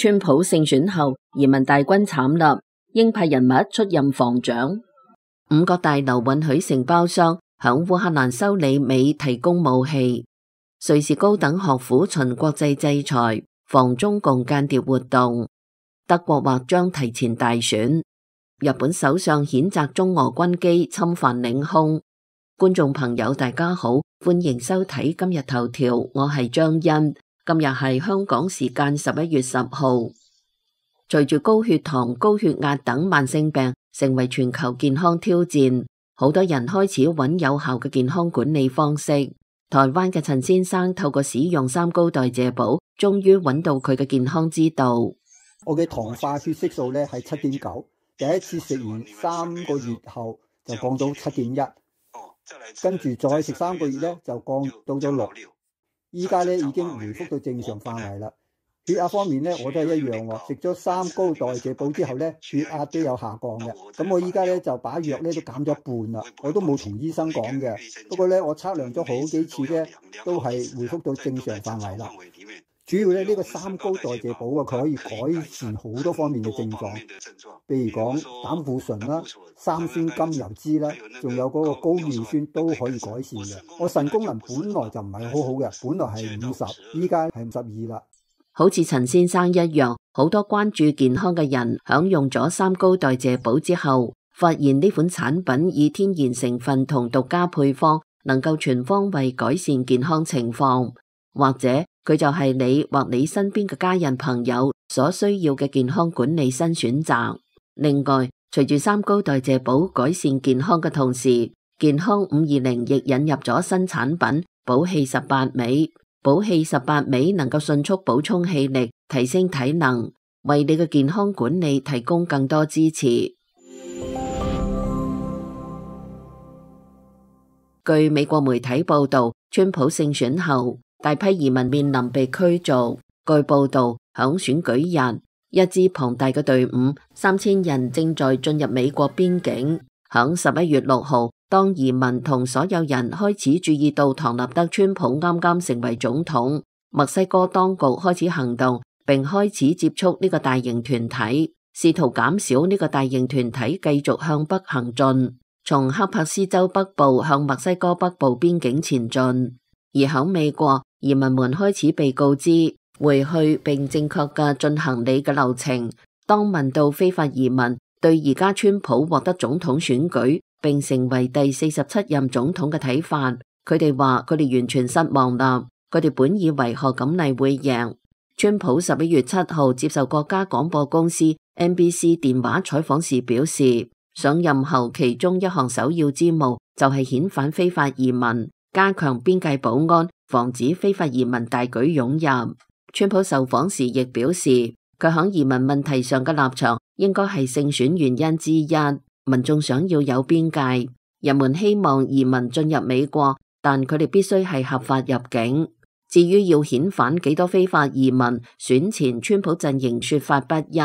川普勝選後，移民大軍慘立，鷹派人物出任防長。五角大樓允許承包商響烏克蘭修里美提供武器。瑞士高等學府循國際制裁，防中共間諜活動。德國或將提前大選。日本首相譴責中俄軍機侵犯領空。觀眾朋友大家好，歡迎收睇今日頭條，我係張欣。今日係香港時間11月10號。隨住高血糖、高血壓等慢性病成為全球健康挑戰，好多人開始揾有效嘅健康管理方式。台灣嘅陳先生透過使用三高代謝寶，終於揾到佢嘅健康之道。我嘅糖化血色素咧係7.9，第一次食完3個月後就降到7.1，跟住再食3個月咧就降到咗6。依家咧已經回復到正常範圍啦。血壓方面咧，我都係一樣喎。食咗三高代謝寶之後咧，血壓都有下降嘅。咁我依家咧就把藥咧都減咗一半啦。我都冇同醫生講嘅。不過咧，我測量咗好幾次咧，都係回復到正常範圍啦。主要咧呢個三高代謝寶啊，佢可以改善好多方面嘅症狀，譬如講膽固醇啦、三酸甘油酯啦，仲有嗰個高尿酸都可以改善嘅。我腎功能本來就唔係好好嘅，本來係50，依家係52啦。好似陳先生一樣，好多關注健康嘅人享用咗三高代謝寶之後，發現呢款產品以天然成分同獨家配方，能夠全方位改善健康情況，或者佢就係你或你身邊嘅家人朋友所需要嘅健康管理新選擇。另外，隨住三高代謝寶改善健康嘅同時，健康520亦引入咗新產品寶氣18味。寶氣18味能夠迅速補充氣力，提升體能，為你嘅健康管理提供更多支持。據美國媒體報道，川普勝選後，大批移民面臨被驅逐。據報道，響選舉日，一支龐大嘅隊伍，3000人正在進入美國邊境。響11月6號，當移民同所有人開始注意到唐納德川普啱啱成為總統，墨西哥當局開始行動，並開始接觸呢個大型團體，試圖減少呢個大型團體繼續向北行進，從恰帕斯州北部向墨西哥北部邊境前進。而響美國，移民們開始被告知回去並正確嘅進行你嘅流程。當問到非法移民對而家川普獲得總統選舉並成為第47任總統嘅睇法，佢哋話佢哋完全失望啦。佢哋本以為賀錦麗會贏。川普11月7號接受國家廣播公司 NBC 電話採訪時表示，上任後其中一項首要之務就係遣返非法移民，加強邊界保安，防止非法移民大舉湧入。川普受訪時亦表示，佢響移民問題上嘅立場應該係勝選原因之一。民眾想要有邊界，人們希望移民進入美國，但佢哋必須係合法入境。至於要遣返幾多非法移民，選前川普陣營說法不一，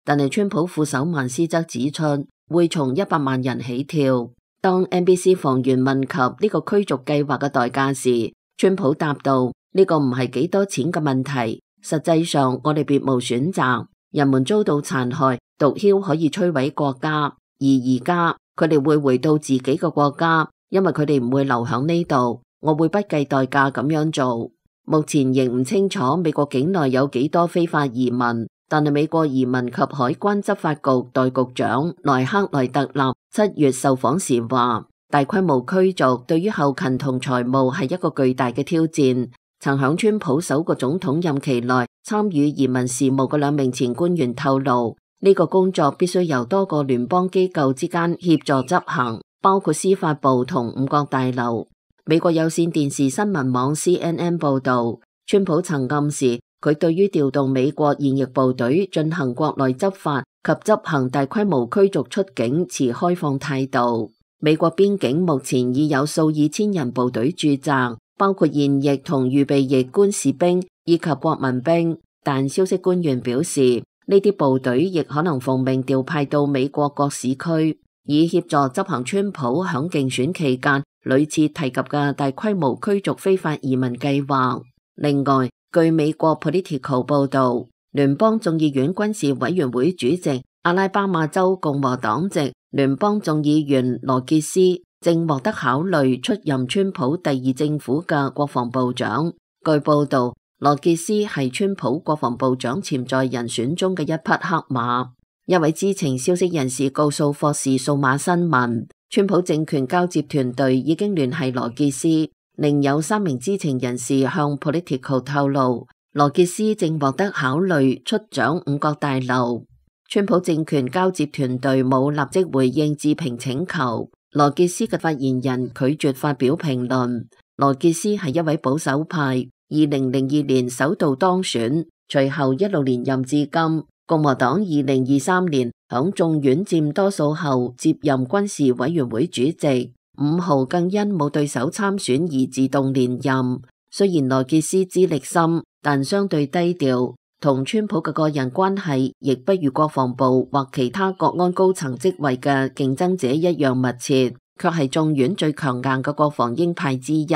但係川普副手曼斯則指出，會從100萬人起跳。當 NBC 訪員問及呢個驅逐計劃嘅代價時，川普答道：呢個唔係幾多錢嘅問題，實際上我哋別無選擇。人們遭到殘害，毒梟可以摧毀國家。而家佢哋會回到自己嘅國家，因為佢哋唔會留響呢度。我會不計代價咁樣做。目前仍唔清楚美國境內有幾多非法移民，但係美國移民及海關執法局代局長萊克萊特納7月受訪時話，大規模驅逐對於後勤同財務係一個巨大嘅挑戰。曾響川普首個總統任期內參與移民事務嘅2名前官員透露，呢個工作必須由多個聯邦機構之間協助執行，包括司法部同五角大樓。美國有線電視新聞網 CNN 報道，川普曾暗示佢對於調動美國現役部隊進行國內執法及執行大規模驅逐出境持開放態度。美國邊境目前已有數以千人部隊駐紮，包括現役同預備役官士兵以及國民兵，但消息官員表示，呢啲部隊亦可能奉命調派到美國各市區，以協助執行川普響競選期間屢次提及嘅大規模驅逐非法移民計劃。另外，據美國 Politico 報道，聯邦眾議院軍事委員會主席、阿拉巴馬州共和黨籍聯邦眾議員羅傑斯正獲得考慮出任川普第二政府嘅國防部長。據報道，羅傑斯係川普國防部長潛在人選中嘅一匹黑馬。一位知情消息人士告訴霍士數碼新聞，川普政權交接團隊已經聯繫羅傑斯。另有3名知情人士向 Politico 透露，羅傑斯正獲得考慮出掌五角大樓。川普政權交接團隊冇立即回應置評請求。羅傑斯嘅發言人拒絕發表評論。羅傑斯係一位保守派，2002年首度當選，隨後一路連任至今。共和黨2023年響眾院佔多數後接任軍事委員會主席，5號更因冇對手參選而自動連任。雖然羅傑斯資歷深，但相對低調，同川普嘅個人關係亦不如國防部或其他國安高層職位嘅競爭者一樣密切，卻係眾院最強硬嘅國防鷹派之一，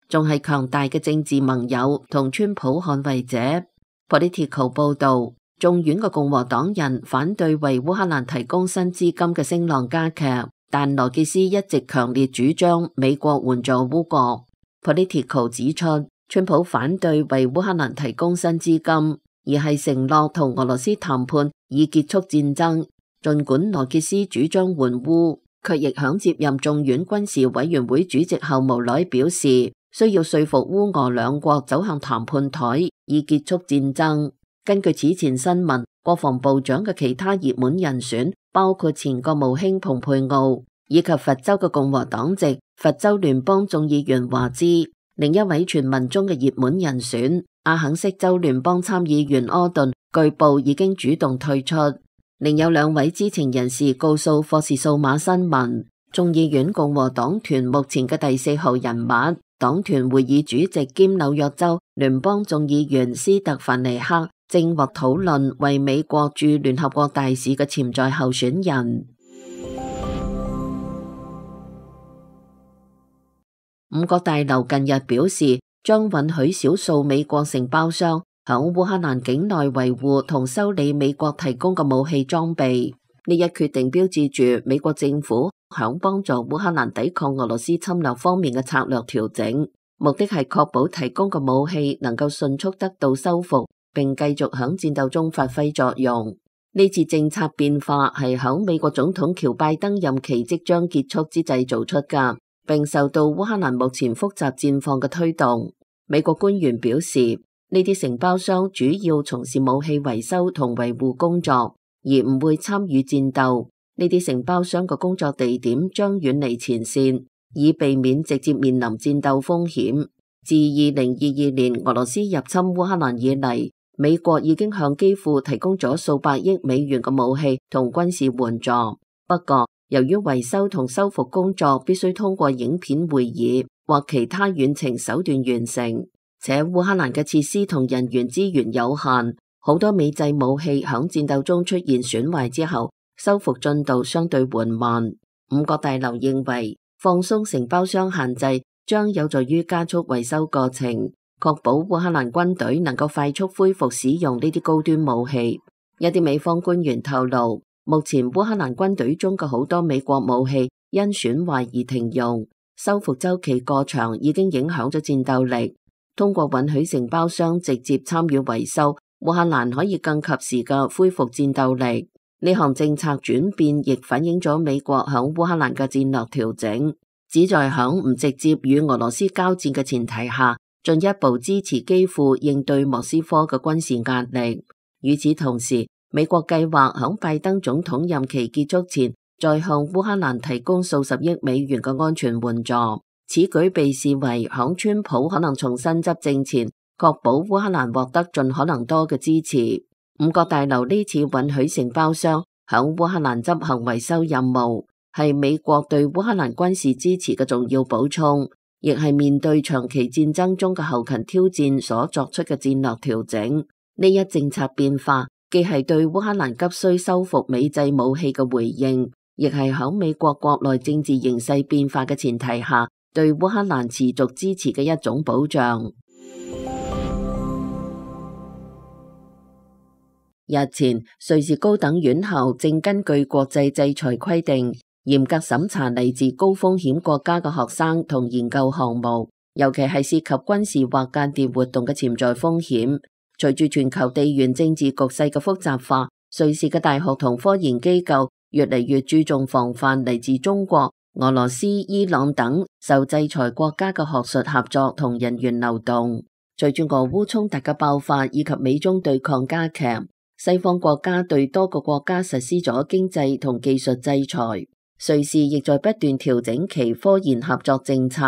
仲係強大嘅政治盟友同川普捍衛者。Politico 報道，眾院嘅共和黨人反對為烏克蘭提供新資金嘅聲浪加劇，但羅傑斯一直強烈主張美國援助烏國。Politico 指出，川普反對為烏克蘭提供新資金，而係承諾同俄羅斯談判以結束戰爭。儘管羅傑斯主張援烏，卻亦響接任眾院軍事委員會主席後無奈表示，需要說服烏俄兩國走向談判台以結束戰爭。根據此前新聞，國防部長嘅其他熱門人選包括前國務卿蓬佩奧，以及佛州嘅共和黨籍佛州聯邦眾議員華茲。另一位傳聞中嘅熱門人選阿肯色州聯邦參議員柯頓，據報已經主動退出。另有2位知情人士告訴霍士數碼新聞，眾議院共和黨團目前嘅第4號人物，黨團會議主席兼紐約州聯邦眾議員斯特凡尼克，正獲討論為美國駐聯合國大使嘅潛在候選人。五角大樓近日表示，將允許少數美國承包商響烏克蘭境內維護同修理美國提供嘅武器裝備。呢一決定標誌住美國政府響幫助烏克蘭抵抗俄羅斯侵略方面嘅策略調整，目的係確保提供嘅武器能夠迅速得到修復，並繼續響戰鬥中發揮作用。呢次政策變化係響美國總統喬拜登任期即將結束之際做出㗎，並受到烏克蘭目前複雜戰況嘅推動。美國官員表示，呢啲承包商主要從事武器維修同維護工作，而唔會參與戰鬥。呢啲承包商嘅工作地點將遠離前線，以避免直接面臨戰鬥風險。自2022年俄羅斯入侵烏克蘭以嚟，美國已經向基輔提供咗數百億美元嘅武器同軍事援助。不過，由於維修同修復工作必須通過影片會議或其他遠程手段完成，且烏克蘭嘅設施同人員資源有限，好多美製武器響戰鬥中出現損壞之後，修復進度相對緩慢。五角大樓認為，放鬆承包商限制將有助於加速維修過程，確保烏克蘭軍隊能夠快速恢復使用呢啲高端武器。一啲美方官員透露，目前烏克蘭軍隊中嘅好多美國武器因損壞而停用，修復週期過長已經影響咗戰鬥力。通過允許承包商直接參與維修，烏克蘭可以更及時嘅恢復戰鬥力。呢項政策轉變亦反映咗美國響烏克蘭嘅戰略調整，旨在響唔直接與俄羅斯交戰嘅前提下，進一步支持基輔應對莫斯科嘅軍事壓力。與此同時，美國計劃響拜登總統任期結束前，再向烏克蘭提供數十億美元嘅安全援助。此舉被視為響川普可能重新執政前，確保烏克蘭獲得盡可能多嘅支持。五角大樓呢次允許承包商響烏克蘭執行維修任務，係美國對烏克蘭軍事支持嘅重要補充，亦係面對長期戰爭中嘅後勤挑戰所作出嘅戰略調整。呢一政策變化既係對烏克蘭急需修復美製武器嘅回應，亦係響美國國內政治形勢變化嘅前提下，對烏克蘭持續支持嘅一種保障。日前，瑞士高等院校正根據國際制裁規定，嚴格審查嚟自高風險國家嘅學生同研究項目，尤其係涉及軍事或間諜活動嘅潛在風險。隨住全球地緣政治局勢嘅複雜化，瑞士嘅大學同科研機構越嚟越注重防範嚟自中國、俄羅斯、伊朗等受制裁國家嘅學術合作同人員流動。隨住俄烏衝突嘅爆發以及美中對抗加劇，西方國家對多個國家實施咗經濟同技術制裁。瑞士亦在不斷調整其科研合作政策，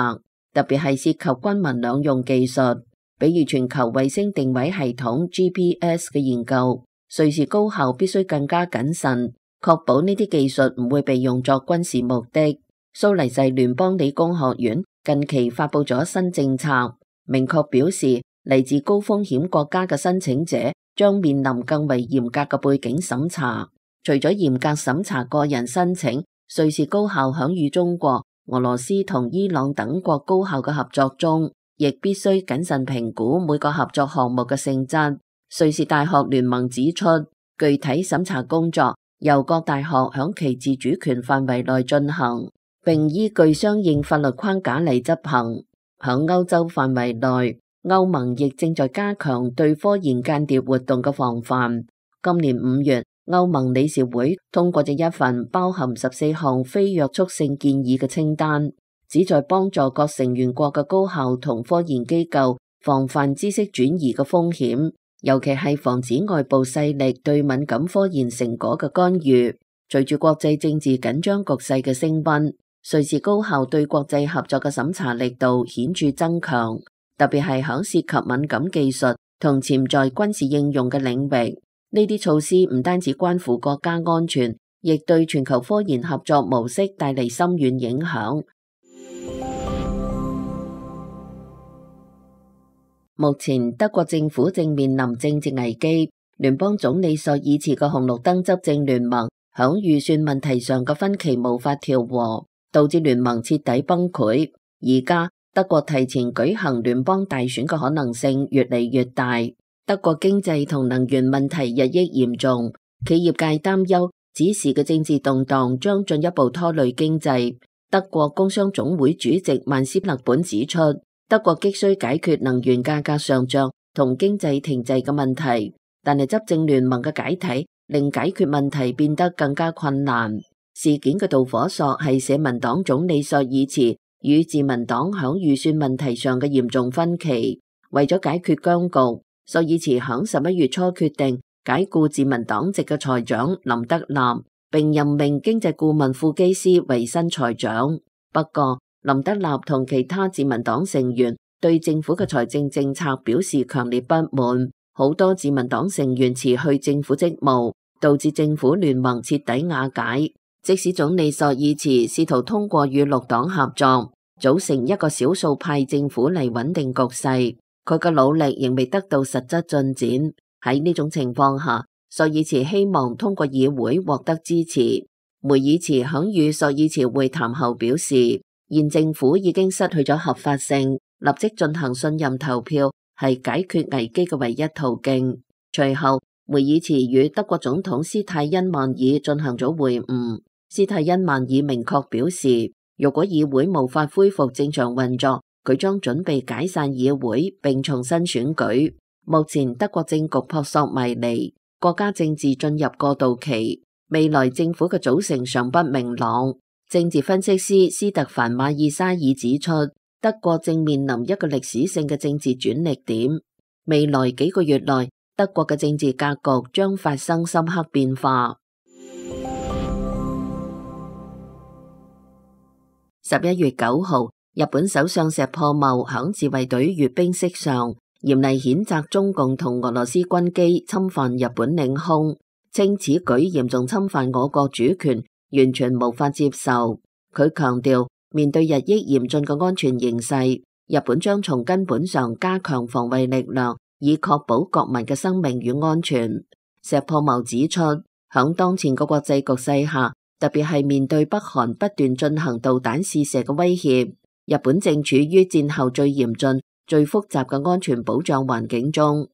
特別係涉及軍民兩用技術，比如全球衛星定位系統 GPS 嘅研究。瑞士高校必須更加謹慎，確保呢啲技術唔會被用作軍事目的。蘇黎世聯邦理工學院近期發佈咗新政策，明確表示嚟自高風險國家嘅申請者將面臨更為嚴格嘅背景審查。除咗嚴格審查個人申請，瑞士高校響與中國、俄羅斯同伊朗等國高校嘅合作中，亦必須謹慎評估每個合作項目嘅性質。瑞士大學聯盟指出，具體審查工作由各大學響其自主權範圍內進行，並依據相應法律框架嚟執行。響歐洲範圍內，歐盟亦正在加強對科研間諜活動嘅防範。今年5月，歐盟理事會通過咗一份包含14項非約束性建議嘅清單，旨在幫助各成員國嘅高校同科研機構防範知識轉移嘅風險，尤其係防止外部勢力對敏感科研成果嘅干預。隨住國際政治緊張局勢嘅升溫，瑞士高校對國際合作嘅審查力度顯著增強，特別係響涉及敏感技術同潛在軍事應用嘅領域。呢啲措施唔單止關乎國家安全，亦對全球科研合作模式帶嚟深遠影響。目前德國政府正面臨政治危機，聯邦總理朔爾茨嘅紅綠燈執政聯盟響預算問題上嘅分歧無法調和，導致聯盟徹底崩潰。而家德國提前舉行聯邦大選嘅可能性越嚟越大。德國經濟同能源問題日益嚴重，企業界擔憂此時嘅政治動盪將進一步拖累經濟。德國工商總會主席曼斯勒本指出，德國急需解決能源價格上漲同經濟停滯嘅問題，但係執政聯盟嘅解體令解決問題變得更加困難。事件嘅導火索係社民黨總理朔爾茨與自民黨響預算問題上嘅嚴重分歧。為咗解決僵局，朔爾茨響11月初決定解僱自民黨籍嘅財長林德納，並任命經濟顧問庫基斯為新財長。不過，林德納同其他自民黨成員對政府嘅財政政策表示強烈不滿，好多自民黨成員辭去政府職務，導致政府聯盟徹底瓦解。即使總理朔爾茨試圖通過與綠黨合作，組成一個少數派政府嚟穩定局勢，佢嘅努力仍未得到實質進展。喺呢種情況下，朔爾茨希望通過議會獲得支持。梅爾茨響與朔爾茨會談後表示，現政府已經失去咗合法性，立即進行信任投票係解決危機嘅唯一途徑。隨後，梅爾茨與德國總統施泰因曼爾進行咗會晤。施泰因曼爾明確表示，如果議會無法恢復正常運作，佢將準備解散議會並重新選舉。目前德國政局撲朔迷離，國家政治進入過渡期，未來政府嘅組成尚不明朗。政治分析師斯特凡馬爾沙爾指出，德國正面臨一個歷史性嘅政治轉捩點，未來幾個月內，德國嘅政治格局將發生深刻變化。11月9號，日本首相石破茂響自衛隊閱兵式上嚴厲譴責中共同俄羅斯軍機侵犯日本領空，稱此舉嚴重侵犯我國主權，完全無法接受。佢強調，面對日益嚴峻嘅安全形勢，日本將從根本上加強防衛力量，以確保國民嘅生命與安全。石破茂指出，響當前嘅國際局勢下，特別係面對北韓不斷進行導彈試射嘅威脅，日本正處於戰後最嚴峻、最複雜嘅安全保障環境中。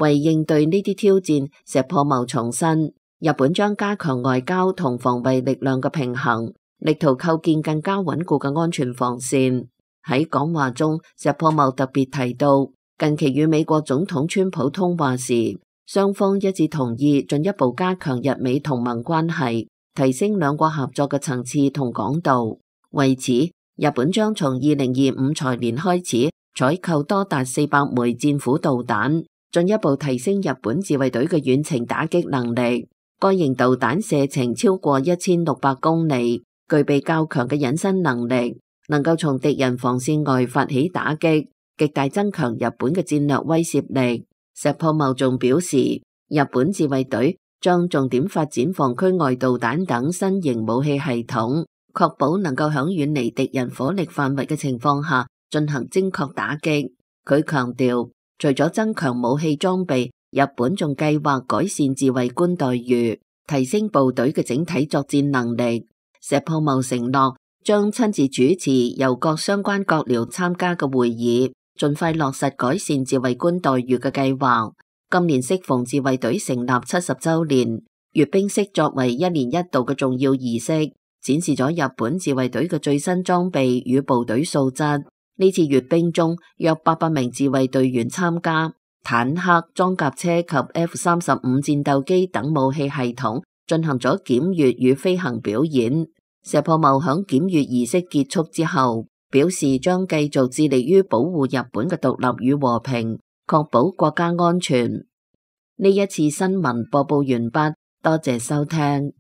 為應對呢啲挑戰，石破茂重申，日本將加強外交同防衛力量嘅平衡，力圖構建更加穩固嘅安全防線。喺講話中，石破茂特別提到，近期與美國總統川普通話時，雙方一致同意進一步加強日美同盟關係，提升兩國合作嘅層次同廣度。為此，日本將從2025財年開始採購多達400枚戰斧導彈，進一步提升日本自衛隊嘅遠程打擊能力。該型導彈射程超過1600公里，具備較強嘅隱身能力，能夠從敵人防線外發起打擊，極大增強日本嘅戰略威懾力。石破茂仲表示，日本自衛隊將重點發展防區外導彈等新型武器系統，確保能夠喺遠離敵人火力範圍嘅情況下進行精確打擊。佢強調，除咗增強武器裝備，日本仲計劃改善自衛官待遇，提升部隊嘅整體作戰能力。石破茂承諾將親自主持由各相關閣僚參加嘅會議，盡快落實改善自衛官待遇嘅計劃。今年適逢自衛隊成立70週年，閱兵式作為一年一度嘅重要儀式，展示咗日本自衛隊嘅最新裝備與部隊素質。呢次閱兵中，約800名自衛隊員參加，坦克、裝甲車及 F-35戰鬥機等武器系統進行咗檢閱與飛行表演。石破茂響檢閱儀式結束之後，表示將繼續致力於保護日本嘅獨立與和平，確保國家安全。呢一次新聞播報完畢，多謝收聽。